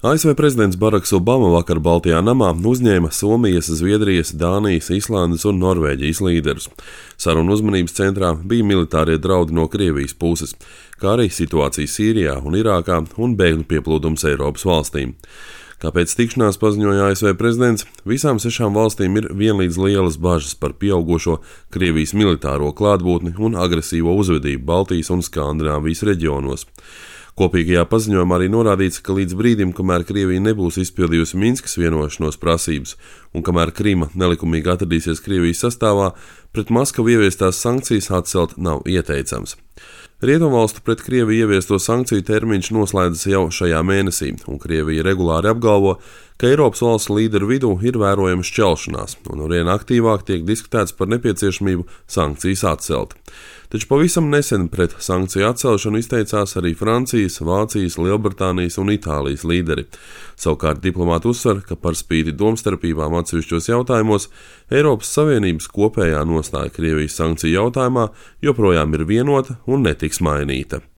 ASV prezidents Baraks Obama vakar Baltijā namā uzņēma Somijas, Zviedrijas, Dānijas, Islandes un Norvēģijas līderus. Sarunu uzmanības centrā bija militārie draudi no Krievijas puses, kā arī situācija Sīrijā un Irākā un bēgļu pieplūdums Eiropas valstīm. Kāpēc tikšanās paziņoja ASV prezidents, visām 6 valstīm ir vienlīdz lielas bažas par pieaugušo Krievijas militāro klātbūtni un agresīvo uzvedību Baltijas un Skandināvijas reģionos. Kopīgajā paziņojumā arī norādīts, ka līdz brīdim, kamēr Krievija nebūs izpildījusi Minskas vienošanos prasības un kamēr Krima nelikumīgi atradīsies Krievijas sastāvā, pret Maskavu ieviestās sankcijas atcelt nav ieteicams. Rietumvalstu pret Krieviju ieviesto sankciju termiņš noslēdzas jau šajā mēnesī, un Krievija regulāri apgalvo, ka Eiropas valstu līderu vidū ir vērojama šķelšanās, un arvien aktīvāk tiek diskutēts par nepieciešamību sankcijas atcelt. Taču pavisam nesen pret sankciju atcelšanu izteicās arī Francijas, Vācijas, Lielbritānijas un Itālijas līderi. Savukārt diplomāti uzsver, ka par spīti domstarpībām atsevišķos jautājumos Eiropas Savienības kopējā nostāja Krievijas sankciju jautājumā joprojām ir vienota un netiks mainīta.